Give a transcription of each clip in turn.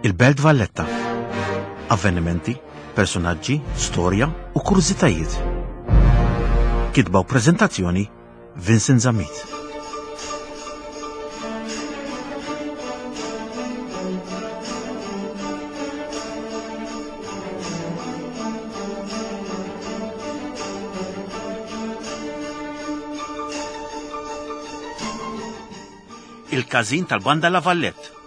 Il-Belt Valletta. Avvenimenti, personaġġi, storja u kurżitajiet. Kitba u preżentazzjoni Vincent Zammit. Il-każin tal-Banda La Vallette.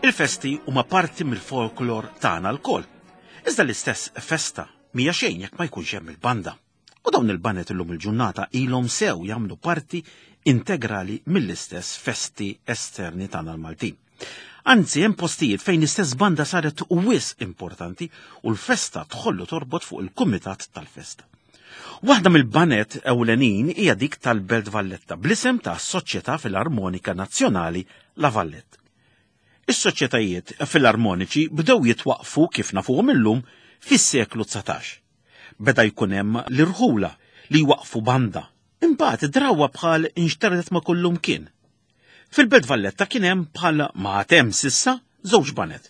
Il-festi huma parti mill-folklor tagħna lkoll. Iżda l-istess festa mhija xejn jekk ma jkunx hemm il-banda. U dawn il-baned illum il-ġurnata ilhom sew jagħmlu parti integrali mill-istess festi esterni tagħna l-Maltin. Anzi, hemm postijiet fejn l-istess banda saret wisq importanti u l-festa tħollu torbot fuq il-kumitat tal-festa. Waħda mill-banet ewlenin hija dik tal-Belt Valletta bl-isem ta' Soċjetà Filarmonika Nazzjonali La Vallette. Is-soċjetajiet filarmoniċi bdew jitwaqqfu kif nafuhom illum fis-seklu 19. Beda jkun hemm l-irħula li jwaqqfu banda. Imbagħad drawwa bħal inxterdet ma' kullumkien. Fil-Belt Valletta kien hemm bħal ma għad hemm s'issa żewġ baned.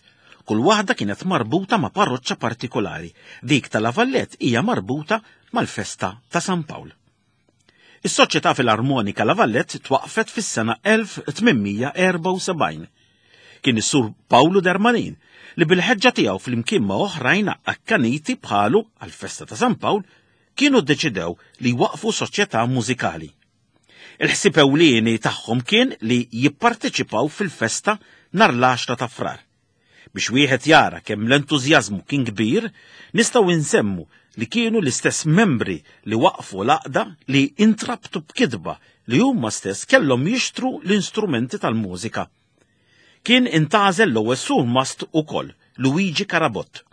Kull waħda kienet marbuta ma' parroċċa partikolari. Dik ta' La Vallette hija marbuta mal-festa ta' San Pawl. Is-Soċjetà Filarmonika La Vallette twaqqfet fis-sena 1874. Kien is-Sur Pawlu Darmanin li bil-ħeġġa tiegħu flimkien ma' oħrajn akkaniti bħalu għall-festa ta' San Pawl kienu ddeċidew li jwaqqfu soċjetà mużikali. Il-ħsieb ewlieni tagħhom kien li jipparteċipaw fil-festa nhar l-għaxra ta' Frar. Biex wieħed jara kemm l-entużjażmu kien kbir, nistgħu nsemmu li kienu l-istess membri li waqqfu l-għaqda li intrabtu b'kitba li huma stess kellhom jixtru l-instrumenti tal-mużika. Kien intgħażel l-ewwel surmast ukoll, Luigi Carabott.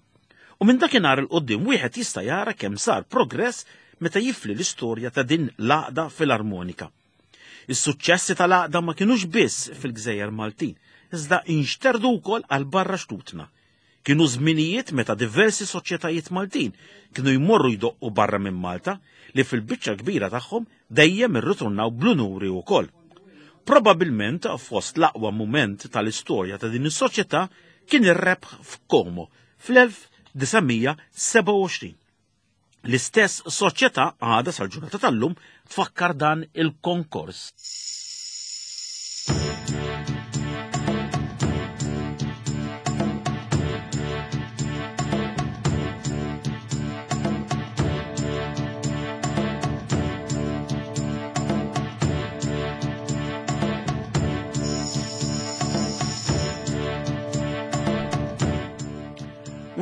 U minn dakinhar 'il quddiem wieħed jista' jara kemm sar progress meta jifli l-istorja ta' din l-għaqda filarmonika. Is-suċċessi tal-għaqda ma kinux biss fil-gżejjer Maltin, iżda inxterdu wkoll għal barra xtutna. Kienu żminijiet meta diversi soċjetajiet Maltin kienu jmorru jdoqqu barra minn Malta li fil-biċċa kbira tagħhom dejjem irritornaw bl-unuri wkoll. Probabilment fost l-aqwa mument tal-istorja ta' din is-soċjetà kien ir-rebħ f'Komo fl-1927. L-istess soċjetà għadha sal-ġurnata tal-lum tfakkar dan il-konkors.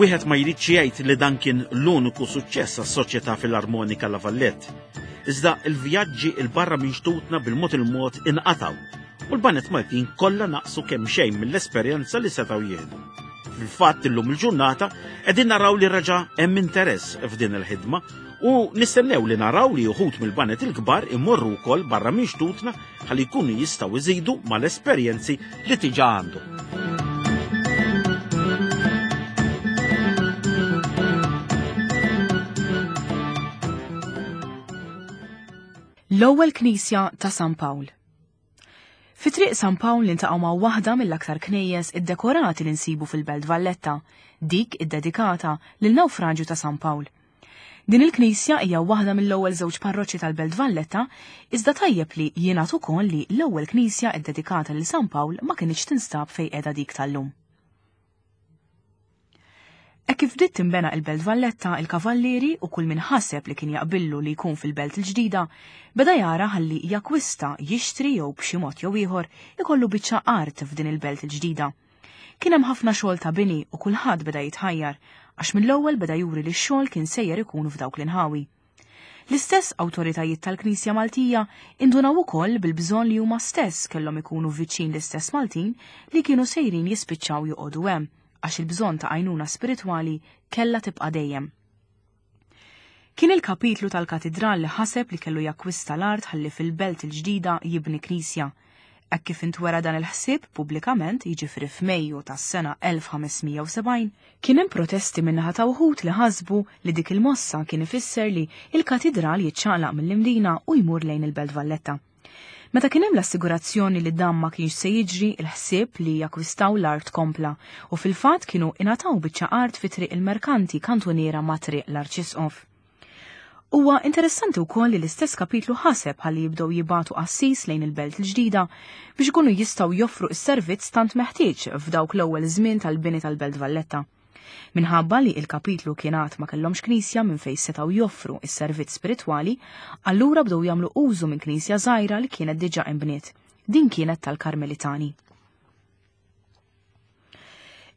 Wieħed ma jridx jgħid li dan kien l-uniku suċċess għas-Soċjetà Filarmonika La Vallette. Iżda l-vjaġġi 'l barra minn xtutna bil-mod il-mod inqatgħu u l-baned Maltin kollha naqsu kemm xejn mill-esperjenza li setgħu jieħdu. Fil-fatt illum il-ġurnata qegħdin naraw li reġa' hemm interess f'din il-ħidma u nistennew li naraw li uħud mill-baned il-kbar imorru wkoll barra minn xtutna ħalli jkunu jistgħu jżidu mal-esperjenzi li tiġa għandhom. L-ewwel knisja ta' San Pawl. Fi Triq San Pawl niltaqgħu ma' waħda mill-aktar knejjes iddekorati li nsibu fil-Belt Valletta, dik iddedikata lil Nawfraġju ta' San Pawl. Din il-knisja hija waħda mill-ewwel żewġ parroċċi tal-Belt Valletta, iżda tajjeb li jingħad ukoll li l-ewwel knisja ddedikata lil San Pawl ma kinitx tinstab fejn qiegħda dik tal-lum. Hekk kif bdiet tinbena il-Belt Valletta, il-Kavallieri u kull min ħaseb li kien jaqbillu li jkun fil-Belt il-ġdida, beda jara ħalli jakkwista, jixtri jew b'xi mod jew ieħor ikollu biċċa art f'din il-Belt il-ġdida. Kien hemm ħafna xogħol ta' bini u kulħadd beda jitħajjar għax mill-ewwel beda juri li x-xogħol kien sejjer ikun f'dawk l-inħawi. L-istess awtoritajiet tal-Knisja Maltija indunaw ukoll bil-bżonn li huma stess kellhom ikunu viċin l-istess Maltin li kienu sejrin jispiċċaw joqogħdu hemm għax il-bżonn ta' għajnuna spiritwali kellha tibqa' dejjem. Kien il-kapitlu tal-katidral li ħaseb li kellu jakkwista l-art ħalli fil-belt il-ġdida jibni knisja. Hekk kif intwera dan il-ħsieb pubblikament, jiġifieri f'Mejju tas-sena 1570, kien hemm protesti min-naħa ta' wħud li ħasbu li dik il-mossa kien ifisser li l-katidral jiċċaqlaq mill-Imdina u jmur lejn il-Belt Valletta. Meta kien hemm l-assigurazzjoni li dan ma kienx se jiġri, il-ħsieb li jakkwistaw l-art kompla u fil-fatt kienu ingħataw biċċa art fi Triq il-Merkanti kantuniera ma' Triq l-Arċisqof. Huwa interessanti wkoll li l-istess kapitlu ħaseb ħalli jibdew jibagħtu qassis lejn il-belt il-ġdida biex ikunu jistgħu joffru s-servizz tant meħtieġ f'dawk l-ewwel żmien tal-bini tal-Belt Valletta. Minħabba li il-kapitlu kien għad ma kellhomx knisja minn fejn setgħu joffru s-servizz spiritwali, allura bdew jagħmlu użu minn knisja żgħira li kienet diġà inbniet. Din kienet tal-Karmelitani.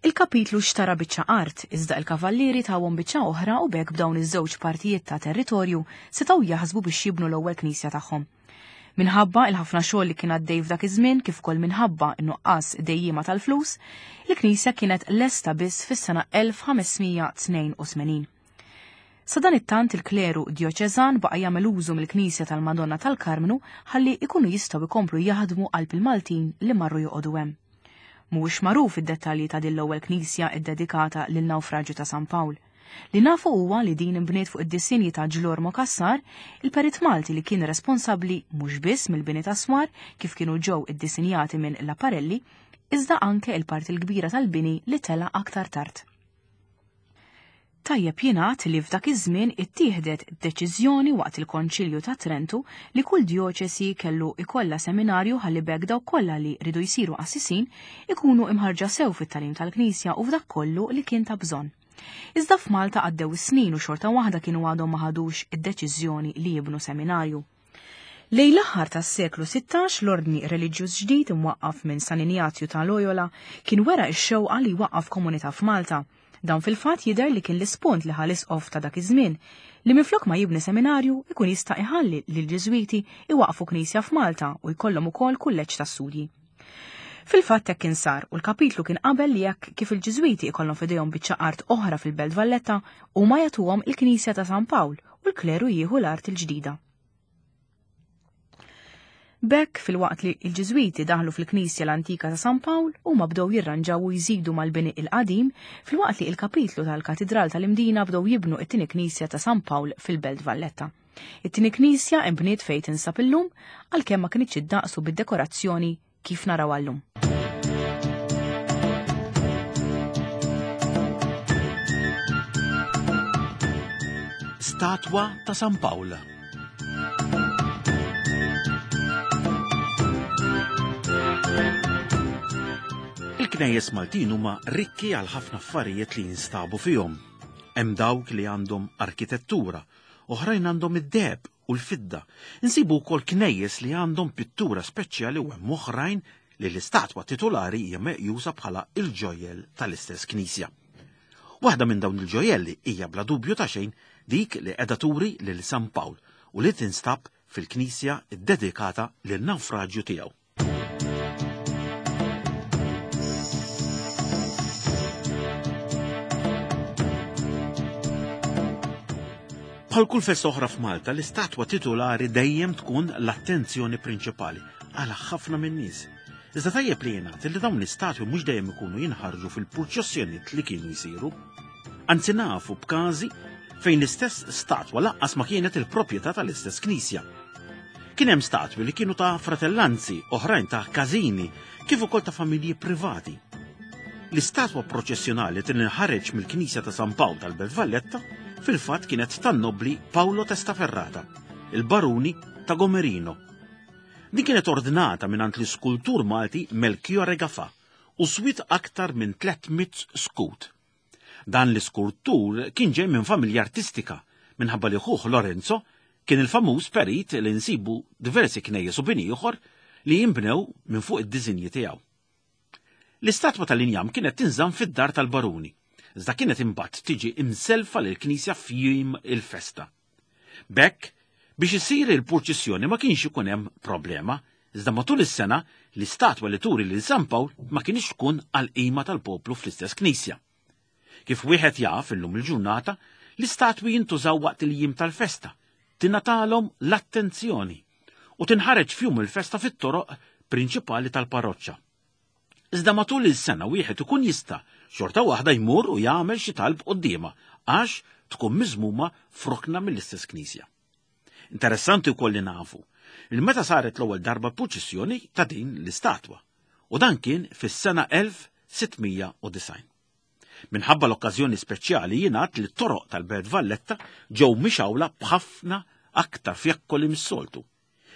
Il-kapitlu xtara biċċa art, iżda il-kavallieri tawhom biċċa oħra u b'hekk b'dawn iż-żewġ partijiet ta' territorju setgħu jaħsbu biex jibnu l-ewwel knisja tagħhom. Minħabba il-ħafna xogħol li kien għaddej f'dak iż-żmien kif ukoll minħabba n-nuqqas dejjiema tal-flus, il-knisja kienet lesta biss fis-sena 1582. Sadanittant il-kleru djoċeżan baqa' jagħmel użu mill-knisja tal-Madonna tal-Karmnu ħalli ikunu jistgħu jkomplu jaħdmu qalb il-Maltin li marru joqogħdu hemm. Mhuwiex magħruf id-dettalji ta' din l-ewwel knisja ddedikata lin-nawfraġju ta' San Pawl. Li nafu huwa li din inbniet fuq id-disinji ta' Ġlormo Cassar, il-perit Malti li kien responsabbli mhux biss mill-bini tas-swar kif kienu ġew iddisinjati minn Laparelli, iżda anke il-parti l-kbira tal-bini li tela' aktar tard. Tajjeb jingħad li f'dak iż-żmien ittieħdet deċiżjoni waqt il-Konċilju ta' Trentu li kull djoċesi kellu ikollha seminarju ħalli b'hekk dawk kollha li riedu jsiru qassisin ikunu imħarrġa sew fit-tagħlim tal-Knisja u f'dak kollu li kien ta' bżonn. Iżda f'Malta għaddew is-snin u xorta waħda kienu għadhom ma ħadux id-deċiżjoni li jibnu seminarju. Lejn l-aħħar tas-seklu 16 l-ordni reliġjuż ġdid imwaqqaf minn San Injazju ta' Loyola kien wera x-xewqa li jwaqqaf komunità f'Malta. Dan fil-fatt jidher li kien l-ispunt li ħa l-isqof ta' dak iż-żmien li minflok ma jibni seminarju ikun jista' iħalli lill-Ġiżwiti iwaqqfu knisja f'Malta u jkollhom ukoll kulleġġ ta' studji. Fil-fatt hekk kien sar u l-kapitlu kien qabel li jekk kif il-Ġiżwiti ikollhom f'idejhom biċċa art oħra fil-Belt Valletta huma jagħtuhom il-Knisja ta' San Pawl u l-kleru jieħu l-art il-ġdida. B'hekk, filwaqt li l-Ġiżwiti daħlu fil-knisja l-antika ta' San Pawl, huma bdew jirranġaw u jżidu mal-bini il-qadim, filwaqt li il-kapitlu tal-Katidral tal-Imdina bdew jibnu it-tieni knisja ta' San Pawl fil-Belt Valletta. It-tieni knisja inbniet fejn tinsab illum, għalkemm ma kinitx iddaqs u bid-dekorazzjoni kif narawha llum. Statwa ta' San Pawl. Il-knejjes Maltin huma rikki għal ħafna affarijiet li jinstabu fihom. Hemm dawk li għandhom arkitettura, oħrajn għandhom id-deheb u l-fidda. Insibu wkoll knejjes li għandhom pittura speċjali u hemm oħrajn li l-istatwa titolari hija meqjusa bħala il-ġojjel tal-istess knisja. Waħda minn dawn il-ġojjelli hija bla dubju ta' xejn dik li qiegħda turi lil San Pawl u li tinstab fil-knisja ddedikata lin-nawfraġju tiegħu. Bħal kull festa oħra f'Malta, l-istatwa titulari dejjem tkun l-attenzjoni prinċipali għal ħafna min-nies. Iżda tajjeb li jingħad li dawn l-istatwi mhux dejjem ikunu jinħarġu fil-purċissjonijiet li kienu jsiru. Anzi nafu b'każi fejn l-istess statwa lanqas ma kienet il-proprjetà tal-istess knisja. Kien hemm statwi li kienu ta' fratellanzi, oħrajn ta' każini, kif ukoll ta' familji privati. L-istatwa proċessjonali tinħareġ mill-Knisja ta' San Pawl tal-Belt Valletta fil-fatt kienet tan-nobbli Paolo Testaferrata, il-baruni ta' Gomerino. Din kienet ordnata mingħand l-iskultur Malti Melchiorre Gafà u swiet aktar minn 300 skut. Dan l-iskultur kien ġej minn familja artistika, minħabba li ħuh Lorenzo kien il-famuż perit li nsibu diversi knejjes u bini ieħor li jinbnew minn fuq id-diżinji tiegħu. L-istatwa tal-injam kienet tinżamm fid-dar tal-baruni, iżda kienet imbagħad tiġi imselfa lill-knisja f'jiem il-festa. B'hekk, biex issir il-purċissjoni ma kienx ikun hemm problema, iżda matul is-sena l-istatwa li turi lil San Pawl ma kinitx tkun għall-qima tal-poplu fl-istess knisja. Kif wieħed jaf illum il-ġurnata, l-istatwi jintużaw waqt il-jiem tal-festa, tingħatalhom l-attenzjoni u tinħareġ f'jum il-festa fit-toroq prinċipali tal-parroċċa. Iżda matul il-sena wieħed ikun jista' xorta waħda jmur u jagħmel xi talb quddiemha għax tkun miżmuma f'rokna mill-istess knisja. Interessanti wkoll li nafu il meta saret l-ewwel darba purċissjoni ta' din l-istatwa, u dan kien fis-sena 1690. Minħabba l-okkażjoni speċjali jingħad li t-toroq tal-Belt Valletta ġew mixgħula b'ħafna aktar fjakkoli mis-soltu.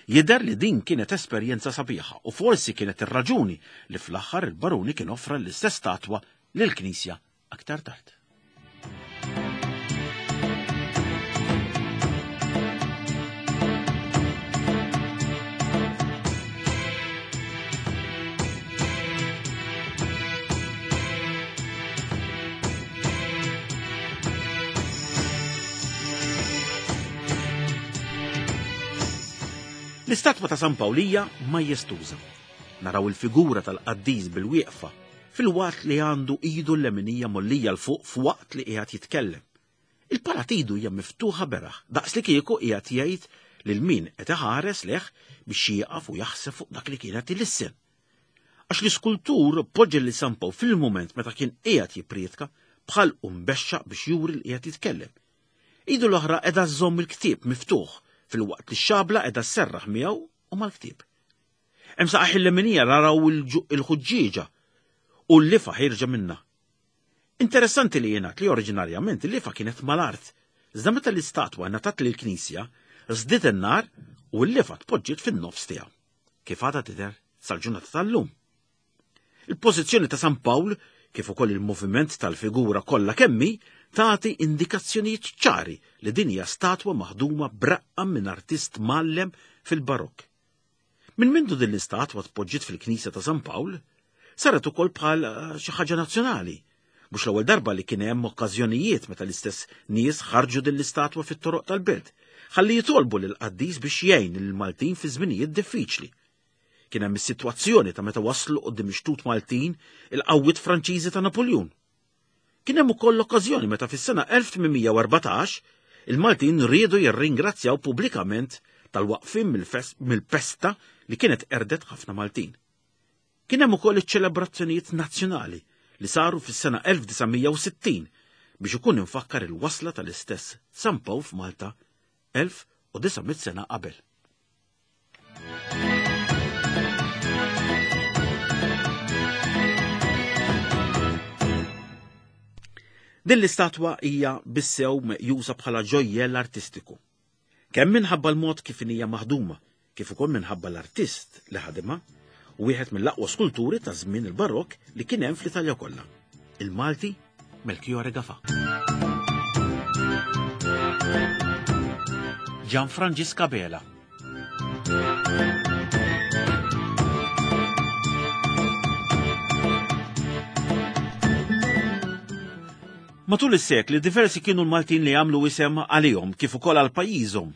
Jidher li din kienet esperjenza sabiħa u forsi kienet ir-raġuni li fl-aħħar il-baruni kien offra l-istess statwa lill-knisja aktar tard. L-istatwa ta' San Pawl hija majestuża. Naraw il-figura tal-qaddis bil-wieqfa filwaqt li għandu idu l-leminija mollija 'l fuq f'waqt li qiegħed jitkellem. Il-pala t'idu hija miftuħa beraħ, daqs li kieku qiegħed jgħid lil min qed iħares lejh biex jieqaf u jaħseb fuq dak li kien qed ilissen. Għax l-iskultur poġġa lil San Pawl fil-mument meta kien qiegħed jipprietka b'ħalqu mbexxaq biex juri li qiegħed jitkellem. Idu l-oħra qiegħda żżomm il-ktieb miftuħ filwaqt li x-xabla qiegħda sserraħ miegħu u mal-ktieb. Hemm saqajh il-leminija naraw il-ħuġġieġa u l-lifa ħierġa minnha. Interessanti li jingħad li oriġinarjament il-lifa kienet mal-art, iżda meta l-istatwa ngħatat lill-knisja, żdied in-nar u l-lifa tpoġġiet fin-nofs tiegħu. Kif għadha tidher sal-ġurnata tal-lum. Il-pożizzjoni ta' San Pawl, kif ukoll il-moviment tal-figura kollha kemm hi, tagħti indikazzjonijiet ċari li din hija statwa maħduma b'raqqa minn artist mgħallem fil-Barokk. Minn mindu din l-istatwa tpoġġiet fil-Knisja ta' San Pawl, saret ukoll bħal eh, xi ħaġa nazzjonali. Mhux l-ewwel darba li kien hemm okkażjonijiet meta l-istess nies ħarġu din l-istatwa fit-toroq tal-belt, ħalli jitolbu lill-qaddis biex jgħin lill-Maltin fi żminijiet diffiċli. Kien hemm is-sitwazzjoni ta' meta waslu quddiem ix-xtut Maltin il-qawwiet Franċiżi ta' Napuljun. Kien hemm ukoll l-okkażjoni meta fis-sena 1814 il-Maltin riedu jirringrazzjaw pubblikament tal-waqfien mill-pesta li kienet qerdet ħafna Maltin. Kien hemm ukoll iċ-ċelebrazzjonijiet nazzjonali li saru fis-sena 1960 biex ikun imfakkar il-wasla tal-istess San Pawl f'Malta 1900 sena qabel. Din l-istatwa hija bissew meqjusa bħala ġojjell artistiku. Kemm minħabba l-mod kif hija maħduma, kif ukoll minħabba l-artist li ħadimha, wieħed mill-aqwa skulturi ta' żmien il-Barokk li kien hemm fl-Italja kollha, il-Malti Melchiorre Gafà. Gian Franġisk Abela. Matul is-sekli diversi kienu l-Maltin li għamlu isem għalihom kif ukoll għal pajjiżhom.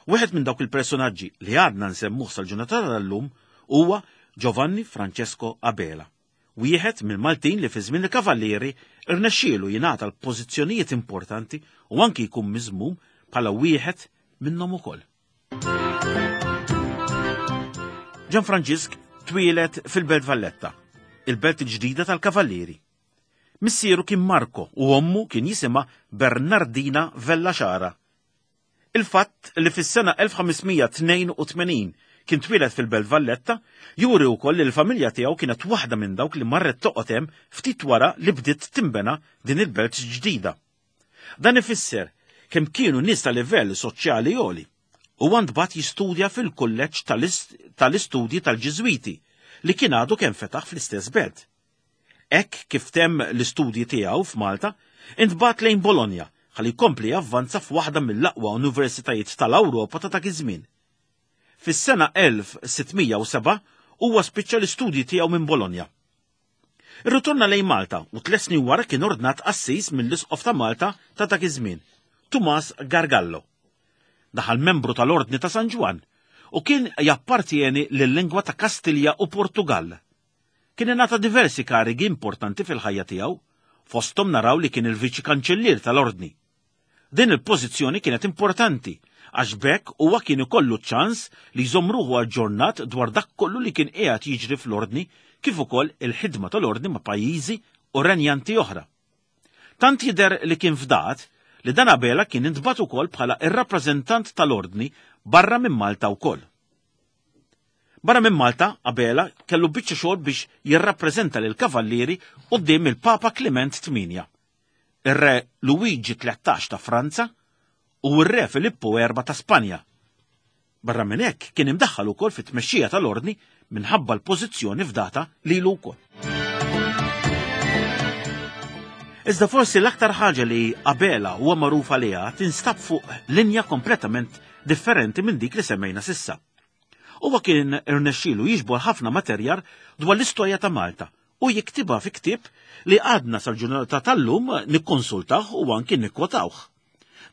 Wieħed minn dawk il-personaġġi li għadna nsemmuh sal-ġurnata tal-lum huwa Giovanni Francesco Abela, wieħed mill-Maltin li fi żmien il-Kavallieri rnexxielu jingħata l-pożizzjonijiet importanti u anki jkun miżmum bħala wieħed minnhom ukoll. Ġan Franġisk twieled fil-Belt Valletta, il-belt il-ġdida tal-Kavallieri. Missieru kien Marco u ommu kien jisimha Bernardina Vella Xara. Il-fatt li fis-sena 1582 kien twieled fil-Belt Valletta juri wkoll li l-familja tiegħu kienet waħda minn dawk li marret toqgħod hemm ftit wara li bdiet tinbena din il-belt ġdida. Dan ifisser kemm kienu nies ta' livell soċjali għoli. Huwa ntbagħat jistudja fil-kulleġġ tal-istudji tal-Ġiżwiti li kien għadu kemm fetaħ fl-istess belt. Hekk kif temm l-istudji tiegħu f'Malta, intbagħat lejn Bologna ħalli jkompli javvanza f'waħda mill-aqwa universitajiet tal-Ewropa ta' dak iż-żmien. Fis-sena 1607 huwa spiċċa l-istudji tiegħu minn Bologna. Irritorna lejn Malta u tliet snin wara kien ordnat qassis mill-Isqof ta' Malta ta' dak iż-żmien, Tumas Gargallo. Daħal membru tal-Ordni ta' San Ġwann u kien jappartjeni lil-lingwa ta' Kastilja u Portugall. Kien ingħata diversi karigi importanti fil-ħajja tiegħu, fosthom naraw li kien il-Viċi Kanċellier tal-Ordni. Din il-pożizzjoni kienet importanti għax b'hekk huwa kien ikollu ċ-ċans li jżomm ruħu aġġornat dwar dak kollu li kien qiegħed jiġri fl-Ordni kif ukoll il-ħidma tal-Ordni ma' pajjiżi u renjanti oħra. Tant jidher li kien fdat li dan Abela kien intbagħat ukoll bħala r-rappreżentant tal-Ordni barra minn Malta wkoll. Barra minn Malta, Abela kellu biċċa xogħol biex jirrappreżenta lill-Kavallieri quddiem il-Papa Kliment Tmienja, ir-Re Luigi 13 ta' Franza u r-Re Filippu Erba' ta' Spanja. Barra minn hekk kien imdaħħal ukoll fit-tmexxija tal-Ordni minħabba l-pożizzjoni fdata lilu wkoll. Iżda forsi l-aktar ħaġa li Abela huwa magħruf għaliha tinstab fuq linja kompletament differenti minn dik li semmejna sissa. Huwa kien irnexxielu jiġbor ħafna materjal dwar l-istorja ta' Malta u jiktibha fi ktieb li għadna sal-ġurnata tal-lum nikkonsultawh u anki nikkwotawh.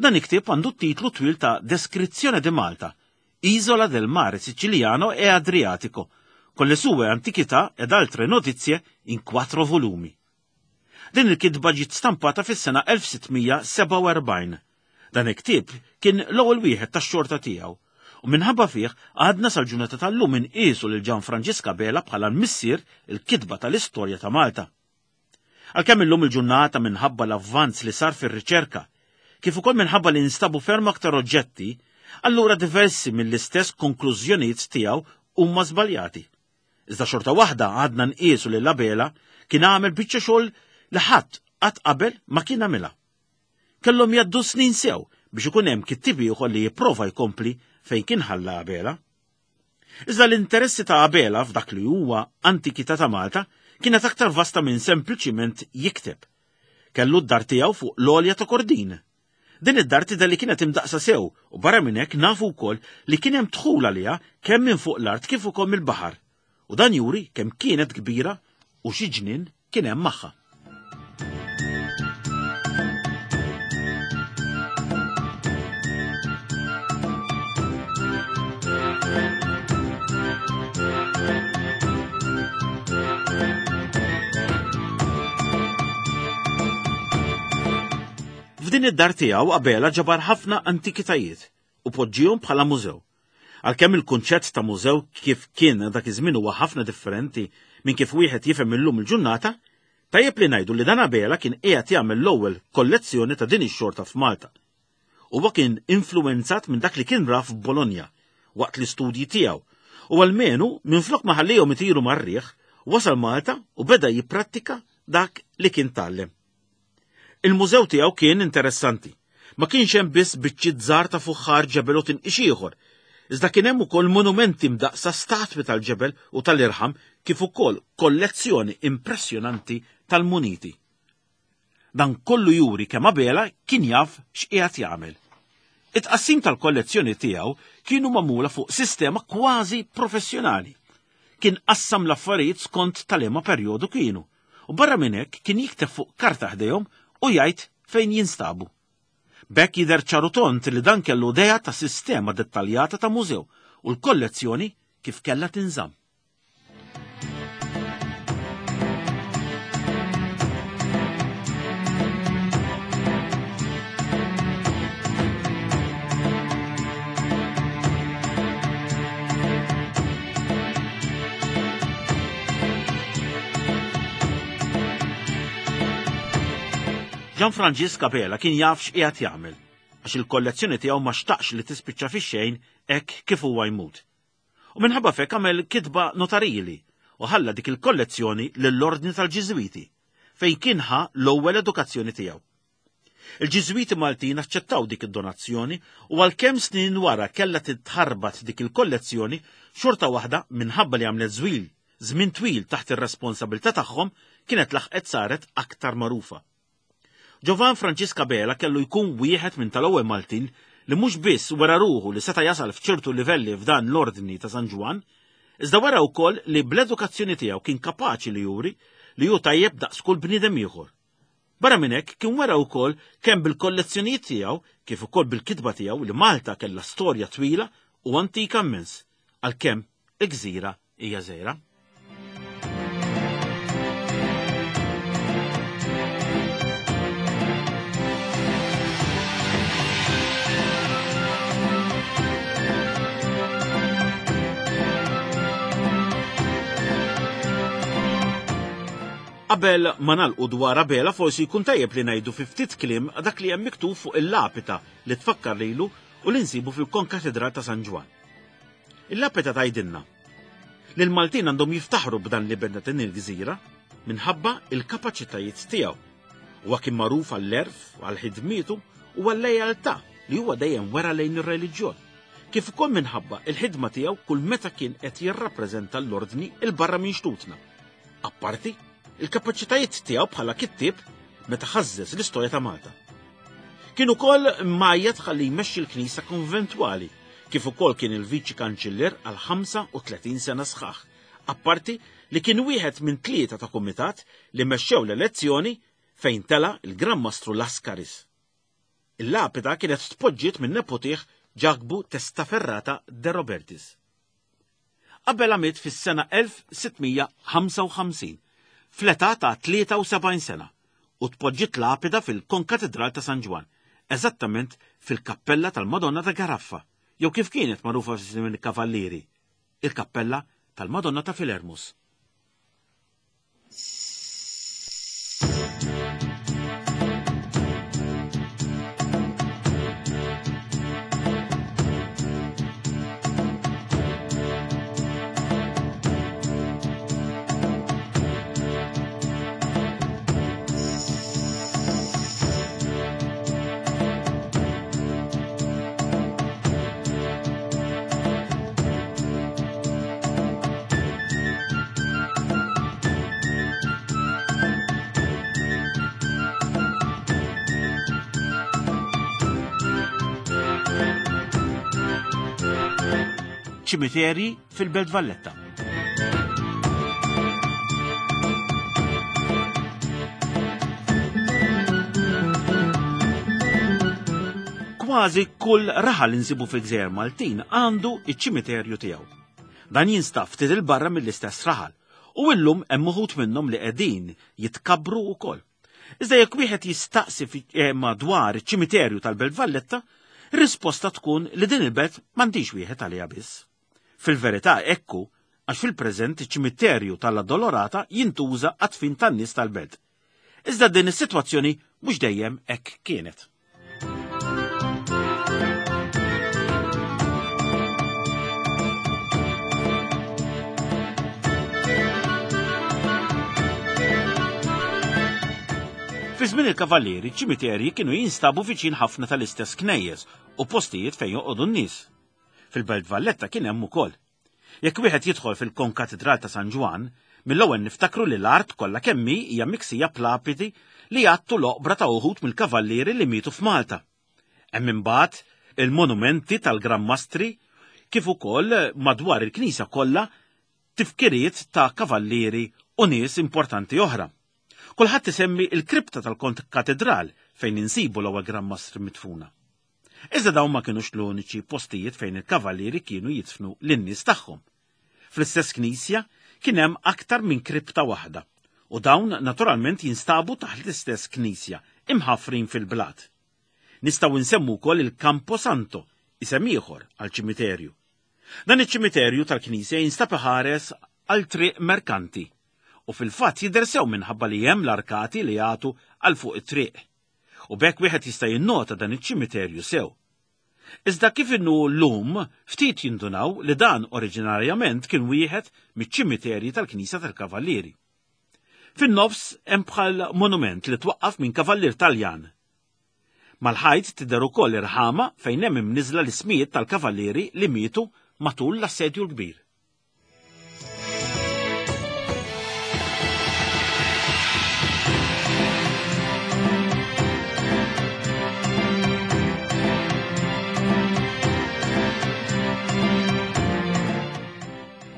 Dan il-ktieb għandu t-titlu twil ta' Descrizione di Malta, Isola del Mare Siciliano e Adriatico, con le sue antichità ed altre notizie in quattro volumi. Din il-kitba ġiet stampata fis-sena 1647. Dan il-ktieb kien l-ewwel wieħed tax-xorta tiegħu u minħabba fih għadna sal-ġurnata tal-lum inqiesu lil Ġan Franġisk Abela bħala l-missier il-kitba tal-istorja ta' Malta. Għalkemm illum il-ġurnata minħabba l-avvanz li sar fir-riċerka, kif ukoll minħabba li nstabu ferm aktar oġġetti, allura diversi mill-istess konklużjonijiet tiegħu huma żbaljati. Iżda xorta waħda għadna nqiesu lil Abela kien għamel biċċa xogħol li ħadd qatt qabel ma kien għamilha. Kellhom jgħaddu snin sew biex ikun hemm kittieb ieħor li jipprova jkompli fejn kien ħalla Abela. Iżda l-interessi ta' Abela f'dak li huwa antikità ta' Malta kienet aktar vasta minn sempliċiment jikteb. Kellu d-dar tiegħu fuq l-għolja ta' Kordin. Din id-dar tidher li kienet imdaqqsa sew u barra minn hekk nafu wkoll li kien hemm dħul għaliha kemm minn fuq l-art kif ukoll mill-baħar. U dan juri kemm kienet kbira u xi ġnien kien hemm magħha. F'din id-dar tiegħu Abela ġabar ħafna antikitajiet u poġġihom bħala mużew. Għalkemm il-kunċett ta' mużew kif kien dak iż-żmien huwa ħafna differenti minn kif wieħed jifhem illum il-ġurnata, tajjeb li ngħidu li dan Abela kien qiegħed jagħmel l-ewwel kollezzjoni ta' din ix-xorta f'Malta. Huwa kien influwenzat minn dak li kien ra f'Bologna waqt l-istudji tiegħu u almenu minflok ma ħallihom itiru mar-riħ, wasal Malta u beda jipprattika dak li kien tgħallem. Il-mużew tiegħu kien interessanti. Ma kienx hemm biss biċċiet żgħar ta' fuħħar ġebel u tinqix ieħor, iżda kien hemm ukoll monumenti mdaqqsa statwi tal-ġebel u tal-irħam kif ukoll kollezzjoni impressjonanti tal-muniti. Dan kollu juri kemm Abela kien jaf x'qiegħed jagħmel. It-tqassim tal-kollezzjoni tiegħu kienu magħmula fuq sistema kważi professjonali. Kien qassam l-affarijiet skont ta' liema perjodu kienu, u barra minn hekk kien jikteb fuq karta ħdejhom u jgħid fejn jinstabu. B'hekk jidher ċar u tond li dan kellu idea ta' sistema dettaljata ta' mużew u l-kollezzjoni kif kellha tinżamm. Ġan Franġisk Abela kien jaf x'qiegħed jagħmel, għax il-kollezzjoni tiegħu ma xtaqx li tispiċċa fix-xejn hekk kif huwa jmut. U minħabba f'hekk għamel kitba notarili u ħalla dik il-kollezzjoni lill-Ordni tal-Ġiżwiti, fejn kien ħa l-ewwel edukazzjoni tiegħu. Il-Ġiżwiti Maltin aċċettaw dik id-donazzjoni u għalkemm snin wara kellha titħarbat dik il-kollezzjoni, xorta waħda minħabba li għamlet żwil żmien twil taħt ir-responsabilità tagħhom kienet laħqet saret aktar magħrufa. Giovan Franġisk Abela kellu jkun wieħed minn tal-ewwel Maltin li mhux biss wera ruħu li seta' jasal f'ċertu livelli f'dan l-Ordni ta' San Ġwann, iżda wera wkoll li bl-edukazzjoni tiegħu kien kapaċi li juri li hu tajjeb daqs kull bniedem ieħor. Barra minn hekk kien wera wkoll kemm bil-kollezzjonijiet tiegħu kif ukoll bil-kitba tiegħu li Malta kellha storja twila u antika immens, għalkemm il-gżira hija żgħira. Qabel ma nagħlqu dwar Abela forsi jkun tajjeb li ngħidu fi ftit kliem dak li hemm miktub fuq il-lapita li tfakkar lilu u li nsibu fil-Konkatedral ta' San Ġwann. Il-lapita tgħidilna. li l-Maltin għandhom jiftaħru b'dan l-iben ta' din il-gżira minħabba il-kapaċitajiet tiegħu. Huwa kien magħruf għall-għerf, għal ħidmietu u għal-lejaltà li huwa dejjem wera lejn ir-reliġjon, kif ukoll minħabba il-ħidma tiegħu kull meta kien qed jirrappreżenta l-ordni 'l barra minn xtutna. Apparti, il-kapaċitajiet tiegħu bħala kittieb meta ħażżeż l-istorja ta' Malta. Kien ukoll mgħajjat ħalli jmexxi l-Knisja Konventwali, kif ukoll kien il-Viċi Kanċillier għal 35 sena sħaħ, apparti li kien wieħed minn tlieta ta' kumitat li mexxew l-elezzjoni fejn tela' l-Gran Mastru Lascaris. Il-lapida kienet tpoġġiet minn neputih Ġakbu Testaferrata de Robertis. Abela miet fis-sena 1655, fl-età ta' 73 sena, u tpoġġiet lapida fil-Konkatidral ta' San Ġwann, eżattament fil-Kappella tal-Madonna ta' Garaffa, jew kif kienet magħrufa fi żmien il-Kavallieri, il-Kappella tal-Madonna ta' Filermus. Ċimiterji fil-Belt Valletta. Kważi kull raħal li nsibu fil-Gżejjer Maltin għandu iċ-ċimiterju tiegħu. Dan jinstab ftit 'il barra mill-istess raħal u illum hemm uħud minnhom li qegħdin jitkabbru wkoll. Iżda jekk wieħed jistaqsi eh, madwar iċ-ċimiterju tal-Belt Valletta, risposta tkun li din il-belt m'għandix wieħed għaliha biss. Fil-verità ekku għax fil-preżent iċ-ċimiterju tal-Addolorata jintuża għat-tfin tan-nies tal-belt. Iżda din is-sitwazzjoni mhux dejjem hekk kienet. Fi żmien il-Kavallieri, ċimiterji kienu jinstabu viċin ħafna tal-istess knejjes u postijiet fejn joqogħdu n-nies. Fil-Belt Valletta kien hemm ukoll. Jekk wieħed jidħol fil-Konkatidral ta' San Ġwann, mill-ewwel niftakru li l-art kollha kemm hi hija miksija b'lapidi li jgħattu l-oqbra ta' uħud mill-kavallieri li mietu f'Malta. Hemm imbagħad il-monumenti tal-Gran Mastri kif ukoll madwar il-knisja kollha tifkiriet ta' kavallieri u nies importanti oħra. Kulħadd isemmi l-kripta tal-Konkatidral fejn insibu l-ewwel Gran Mastri midfuna. Iżda dawn ma kinux l-uniċi postijiet fejn il-kavallieri kienu jidfnu lin-nies tagħhom. Fl-istess knisja kien hemm aktar minn kripta waħda, u dawn naturalment jinstabu taħt l-istess knisja, imħaffrin fil-blat. Nistgħu nsemmu wkoll il-Campo Santo, isem ieħor għal ċimiterju. Dan iċ-ċimiterju tal-knisja jinstab iħares għal Triq Merkanti u fil-fatt jidher sew minħabba li hemm l-arkati li jagħtu għal fuq it-triq. U b'hekk wieħed jista' jinnota dan iċ-ċimiterju sew. Iżda kif inhu llum, ftit jindunaw li dan oriġinarjament kien wieħed miċ-ċimiterji tal-Knisja tal-Kavallieri. Fin-nofs hemm bħal monument li twaqqaf minn kavallier Taljan. Mal-ħajt tidher ukoll irħama fejn hemm imniżżla l-ismijiet tal-kavallieri li mietu matul l-Assedju l-Kbir.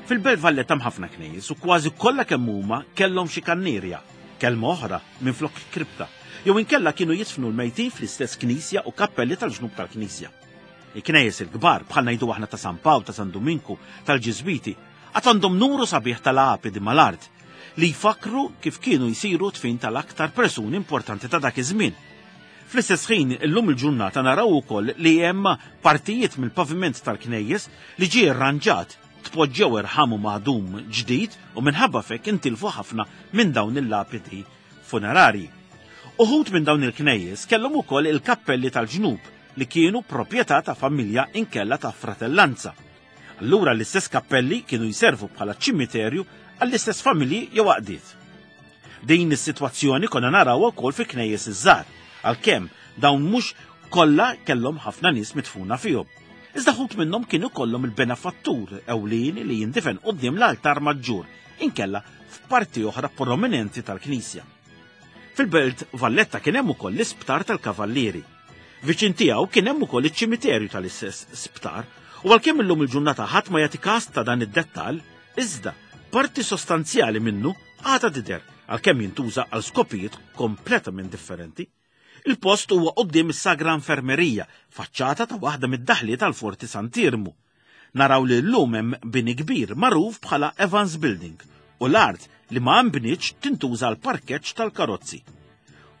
Fil-Belt Valletta hemm ħafna knejjes u kważi kollha kemm huma kellhom xi kannierja, kelma oħra minflok kripta, jew inkella kienu jidfnu l-mejtin fl-istess knisja u kappelli tal-ġnub tal-knisja. Il-knejjes il-kbar, bħal ngħidu aħna ta' San Pawl, ta' San Duminku, tal-Ġiżwiti, għad għandhom numru sabiħ ta' lapidi mal-art li jfakkru kif kienu jsiru dfin tal-aktar persuni importanti ta' dak iż-żmien. Fl-istess ħin, illum il-ġurnata naraw ukoll li hemm partijiet mill-paviment tal-knejjes li ġie rranġat, tpoġġew irħam u madum ġdid u minħabba f'hekk intilfu ħafna minn dawn il-lapidi funerarji. Uħud minn dawn il-knejjes kellhom ukoll il-kappelli tal-ġnub li kienu proprjetà ta' familja inkella ta' fratellanza. Allura l-istess kappelli kienu jservu bħala ċimiterju għall-istess familji jew għaqdiet. Din is-sitwazzjoni konna narawha wkoll fi knejjes iż-żgħar, għalkemm dawn mhux kollha kellhom ħafna nies midfuna fihom. Iżda ħut minnhom kienu kollhom il-benefattur ewlieni li jindifen quddiem l-altar maġġur, inkella f'parti oħra prominenti tal-knisja. Fil-Belt Valletta kien hemm ukoll l-Isptar tal-Kavallieri. Viċin tiegħu kien hemm ukoll iċ-ċimiterju tal-istess sptar, u għalkemm illum il-ġurnata ħadd ma jagħti każ ta' dan id-dettall, iżda parti sostanzjali minnu għadha tidher għalkemm jintuża għal skopijiet kompletament differenti. Il-post huwa quddiem is-Sagra Infermerija, faċċata ta' waħda mid-daħliet għall-Forti Sant'Iermu. Naraw li llum hemm bini kbir magħruf bħala Evans Building u l-art li ma nbnietx tintuża għal parkeġġ tal-karozzi.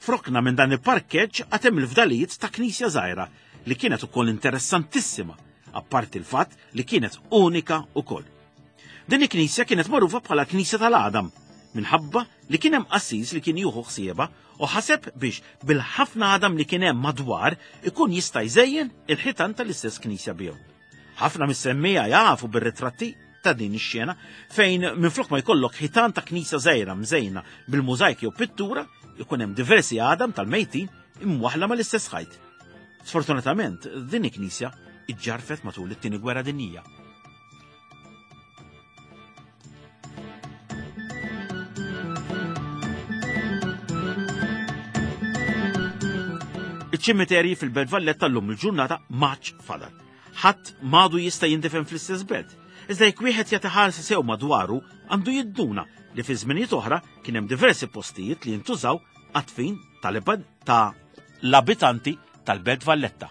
F'rokna minn dan il-parkeġġ għad hemm il-fdalijiet ta' knisja żgħira li kienet ukoll interessantissima, apparti l-fatt li kienet unika ukoll. Din il-knisja kienet magħrufa bħala Knisja tal-Għadam minħabba li kien hemm qassis li kien jieħu ħsiebha u ħaseb biex bil-ħafna għadam li kien hemm madwar ikun jista' jżejjen il-ħitan tal-istess knisja bihom. Ħafna mis-semmija jafu bir-ritratti ta' din ix-xena fejn minflok ma jkollok ħitan ta' knisja żgħira mżejna bil-mużajk jew pittura ikun hemm diversi għadam tal-mejtin imwaħla mal-istess ħajt. Sfortunatament, din il-knisja iġġarfet matul it-Tieni Gwerra Dinjija. Iċ-ċimiterji fil-Belt Valletta llum il-ġurnata maċ fadal. Ħadd madu jista' jindifen fl-istess belt. Iżda jekk wieħed jagħti ħarsa sew madwaru, għandu jidduna li fi żminijiet oħra kien hemm diversi postijiet li jintużaw għat-tfin ta' l-abitanti tal-Belt Valletta.